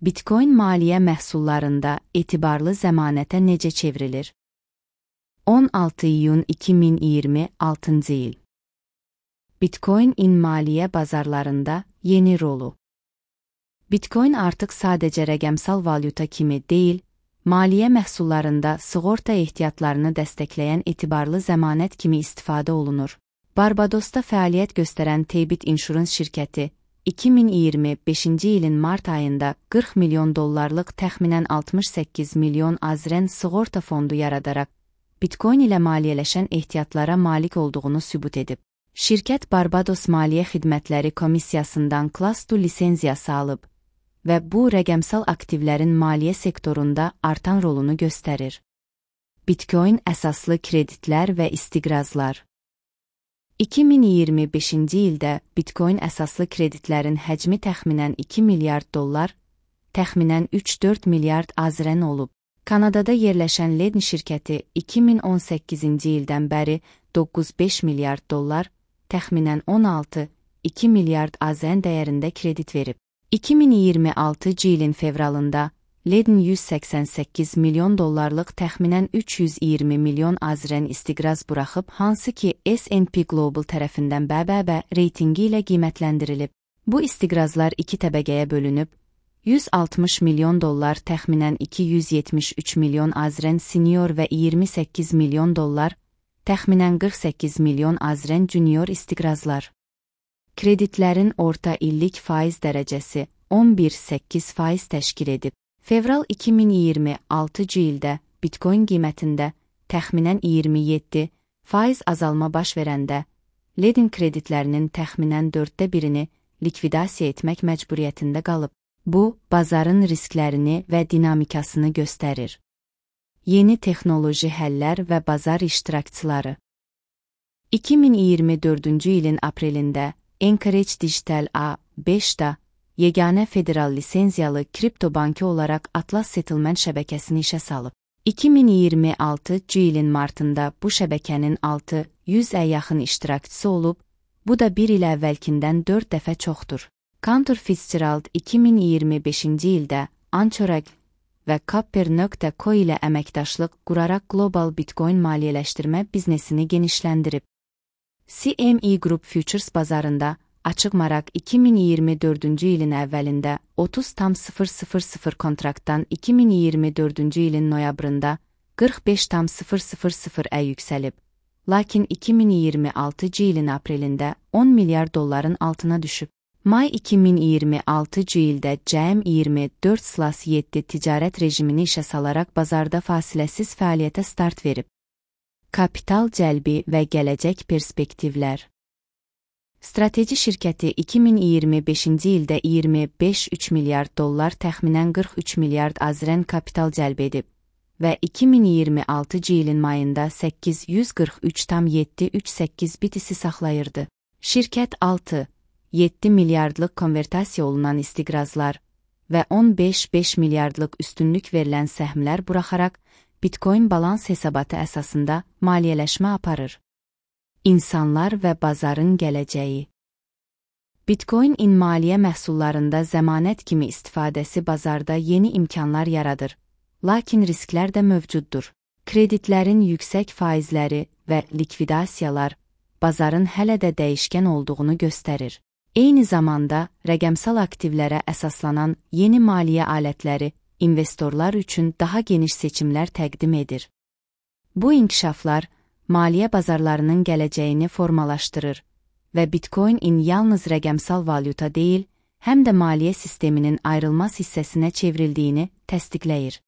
Bitcoin maliyyə məhsullarında etibarlı zəmanətə necə çevrilir? 16 iyun 2026 il. Bitcoin-in maliyyə bazarlarında yeni rolu. Bitcoin artıq sadəcə rəqəmsal valyuta kimi deyil, maliyyə məhsullarında sığorta ehtiyatlarını dəstəkləyən etibarlı zəmanət kimi istifadə olunur. Barbadosda fəaliyyət göstərən Taybit Insurance şirkəti, 2025-ci ilin mart ayında $40 milyon təxminən 68 milyon AZRN sığorta fondu yaradaraq, Bitcoin ilə maliyyələşən ehtiyatlara malik olduğunu sübut edib. Şirkət Barbados Maliyyə Xidmətləri Komissiyasından Class 2 lisenziyası alıb və bu rəqəmsal aktivlərin maliyyə sektorunda artan rolunu göstərir. Bitcoin əsaslı kreditlər və istiqrazlar. 2025-ci ildə Bitcoin əsaslı kreditlərin həcmi təxminən $2 milyard, təxminən 3-4 milyard AZRN olub. Kanadada yerləşən Ledn şirkəti 2018-ci ildən bəri $9.5 milyard, təxminən 16-2 milyard AZN dəyərində kredit verib. 2026-cı ilin fevralında Ledn $188 milyon təxminən 320 milyon AZRN istiqraz buraxıb, hansı ki S&P Global tərəfindən BBB reytingi ilə qiymətləndirilib. Bu istiqrazlar iki təbəqəyə bölünüb, $160 milyon təxminən 273 milyon AZRN senior və $28 milyon təxminən 48 milyon AZRN junior istiqrazlar. Kreditlərin orta illik faiz dərəcəsi 11,8% təşkil edib. Fevral 2026-cı ildə Bitcoin qiymətində təxminən 27% azalma baş verəndə, Ledn kreditlərinin təxminən 1/4-ni likvidasiya etmək məcburiyyətində qalıb. Bu, bazarın risklərini və dinamikasını göstərir. Yeni texnoloji həllər və bazar iştirakçıları. 2024-cü ilin aprelində Anchorage Digital A5-da yeganə federal lisenziyalı kripto bankı olaraq Atlas Settlement şəbəkəsini işə salıb. 2026-cı ilin martında bu şəbəkənin 600-ə yaxın iştirakçısı olub, bu da bir il əvvəlkindən 4 dəfə çoxdur. Cantor Fitzgerald 2025-ci ildə Anchorage və Copper.co ilə əməkdaşlıq quraraq Global Bitcoin maliyyələşdirmə biznesini genişləndirib. CME Group Futures bazarında açıq maraq 2024-cü ilin əvvəlində 30,000 kontraktdan 2024-cü ilin noyabrında 45,000-ə yüksəlib, lakin 2026-cı ilin aprelində $10 milyard altına düşüb. May 2026-cı ildə cəmi 24/7 ticarət rejimini işə salaraq bazarda fasiləsiz fəaliyyətə start verib. Kapital cəlbi və gələcək perspektivlər. Strateji şirkəti 2025-ci ildə $25,3 milyard təxminən 43 milyard AZRN kapital cəlb edib və 2026-cı ilin mayında 843,738 bitisi saxlayırdı. Şirkət 6,7 milyardlıq konvertasiya olunan istiqrazlar və 15,5 milyardlıq üstünlük verilən səhmlər buraxaraq Bitcoin balans hesabatı əsasında maliyyələşmə aparır. İnsanlar və bazarın gələcəyi. Bitcoin-in maliyyə məhsullarında zəmanət kimi istifadəsi bazarda yeni imkanlar yaradır, lakin risklər də mövcuddur. Kreditlərin yüksək faizləri və likvidasiyalar bazarın hələ də dəyişkən olduğunu göstərir. Eyni zamanda rəqəmsal aktivlərə əsaslanan yeni maliyyə alətləri investorlar üçün daha geniş seçimlər təqdim edir. Bu inkişaflar maliyyə bazarlarının gələcəyini formalaşdırır və Bitcoin-in yalnız rəqəmsal valyuta deyil, həm də maliyyə sisteminin ayrılmaz hissəsinə çevrildiyini təsdiqləyir.